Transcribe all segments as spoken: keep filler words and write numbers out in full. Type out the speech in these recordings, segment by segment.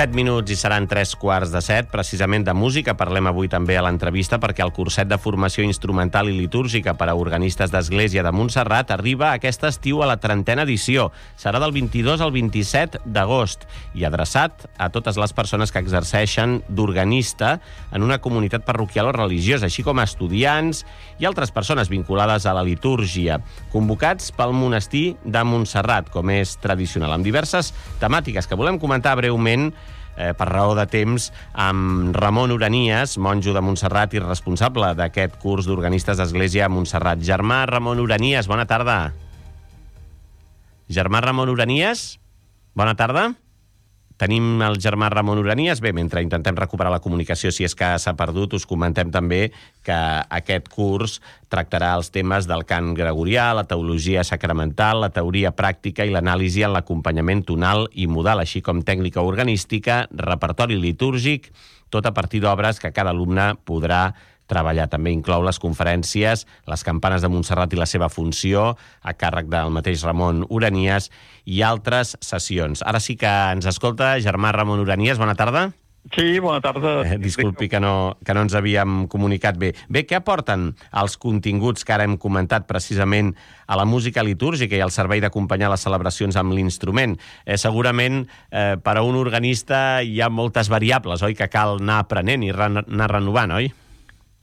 set minuts i seran tres quarts de set. Precisament de música parlem avui també a l'entrevista, perquè el curset de formació instrumental i litúrgica per a organistes d'Església de Montserrat arriba aquest estiu a la trentena edició. Serà del vint-i-dos al vint-i-set d'agost i adreçat a totes les persones que exerceixen d'organista en una comunitat parroquial o religiosa, així com a estudiants i altres persones vinculades a la litúrgia, convocats pel monestir de Montserrat, com és tradicional, amb diverses temàtiques que volem comentar breument eh, per raó de temps amb Ramon Uranias, monjo de Montserrat i responsable d'aquest curs d'organistes d'Església a Montserrat. Germà Ramon Uranias, bona tarda. Germà Ramon Uranias, bona tarda. Tenim el germà Ramon Uranias. Bé, mentre intentem recuperar la comunicació, si és que s'ha perdut, us comentem també que aquest curs tractarà els temes del cant gregorià, la teologia sacramental, la teoria pràctica i l'anàlisi en l'acompanyament tonal i modal, així com tècnica organística, repertori litúrgic, tot a partir d'obres que cada alumne podrà treballar. També inclou les conferències, les campanes de Montserrat i la seva funció, a càrrec del mateix Ramon Uranias, i altres sessions. Ara sí que ens escolta germà Ramon Uranias. Bona tarda. Sí, bona tarda. Eh, disculpi que no, que no ens havíem comunicat bé. Bé, què aporten els continguts que ara hem comentat precisament a la música litúrgica i al servei d'acompanyar les celebracions amb l'instrument? Eh, segurament eh, per a un organista hi ha moltes variables, oi?, que cal anar aprenent i re anar renovant, oi?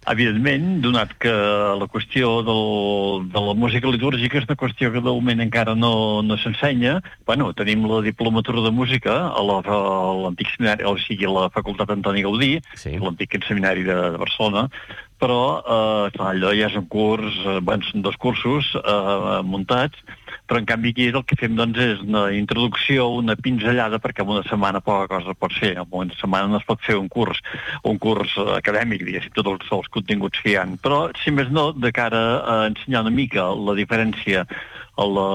Evidentment, donat que la qüestió del, de la música litúrgica és una qüestió que de moment encara no, no s'ensenya. Bueno, tenim la diplomatura de música a l'antic seminari, o sigui, a la Facultat Antoni Gaudí, sí, l'antic seminari de, de Barcelona, però eh, clar, allò ja és un curs, eh, bueno, són dos cursos eh, muntats, però en canvi aquí el que fem doncs, és una introducció, una pinzellada, perquè en una setmana poca cosa pot fer. En una setmana no es pot fer un curs, un curs acadèmic, diguéssim, tots els, els continguts que hi ha. Però, si més no, de cara a ensenyar una mica la diferència a la,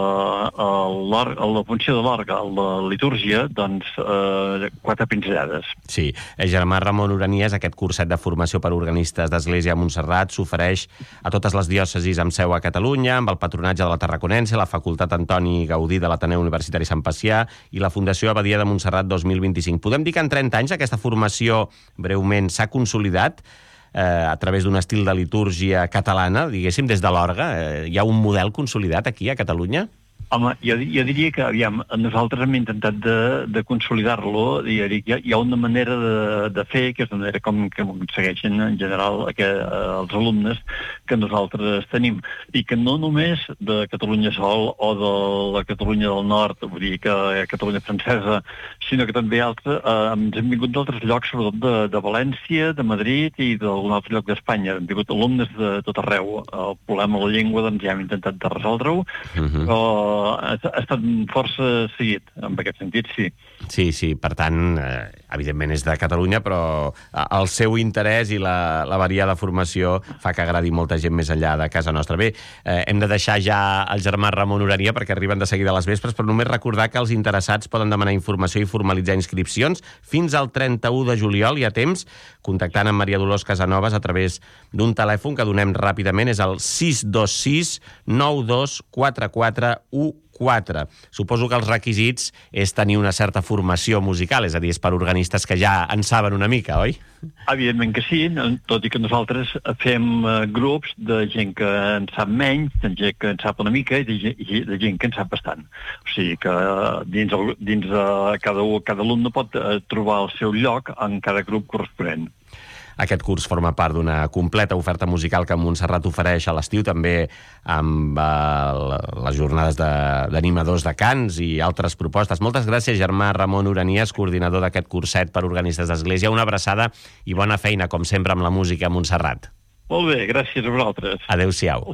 a a la funció de l'orgue, a la litúrgia, doncs eh, quatre pinzellades. Sí. Eh, germà Ramon Uranias, aquest curset de formació per organistes d'Església a Montserrat s'ofereix a totes les diòcesis amb seu a Catalunya, amb el patronatge de la Tarraconense, la Facultat Antoni Gaudí de l'Ateneu Universitari Sant Pacià i la Fundació Abadia de Montserrat dos mil vint-i-cinc. Podem dir que en trenta anys aquesta formació breument s'ha consolidat eh, a través d'un estil de litúrgia catalana, diguéssim, des de l'orgue. Eh, hi ha un model consolidat aquí a Catalunya? Home, jo, jo diria que, aviam, nosaltres hem intentat de, de consolidar-lo, i hi, hi ha una manera de, de fer, que és una manera com que segueixen en general que, eh, els alumnes que nosaltres tenim, i que no només de Catalunya Sol o de la Catalunya del Nord, vull dir que eh, Catalunya Francesa, sinó que també altres, eh, ens hem vingut d'altres llocs, sobretot de, de València, de Madrid i d'algun altre lloc d'Espanya. Hem vingut alumnes de tot arreu. El problema de la llengua, doncs ja hem intentat de resoldre-ho, uh-huh. però ha estat força seguit, en aquest sentit, sí. Sí, sí, per tant, eh, evidentment és de Catalunya, però el seu interès i la, la variada formació fa que agradi molta gent més enllà de casa nostra. Bé, eh, hem de deixar ja el germà Ramon Uranias perquè arriben de seguida a les vespres, però només recordar que els interessats poden demanar informació i formalitzar inscripcions fins al trenta-u de juliol, hi ha temps, contactant amb Maria Dolors Casanovas a través d'un telèfon que donem ràpidament, és el sis dos sis nou dos quatre quatre u quatre. Suposo que els requisits és tenir una certa formació musical, és a dir, és per organistes que ja en saben una mica, oi? Evidentment que sí, tot i que nosaltres fem uh, grups de gent que en sap menys, de gent que en sap una mica i de, i de gent que en sap bastant. O sigui que uh, dins, el, dins uh, cada, cada alumne pot uh, trobar el seu lloc en cada grup corresponent. Aquest curs forma part d'una completa oferta musical que Montserrat ofereix a l'estiu, també amb eh, les jornades d'animadors de, de cants i altres propostes. Moltes gràcies, germà Ramon Uranias, coordinador d'aquest curset per organistes d'Església. Una abraçada i bona feina, com sempre, amb la música a Montserrat. Molt bé, gràcies a vosaltres. Adéu-siau.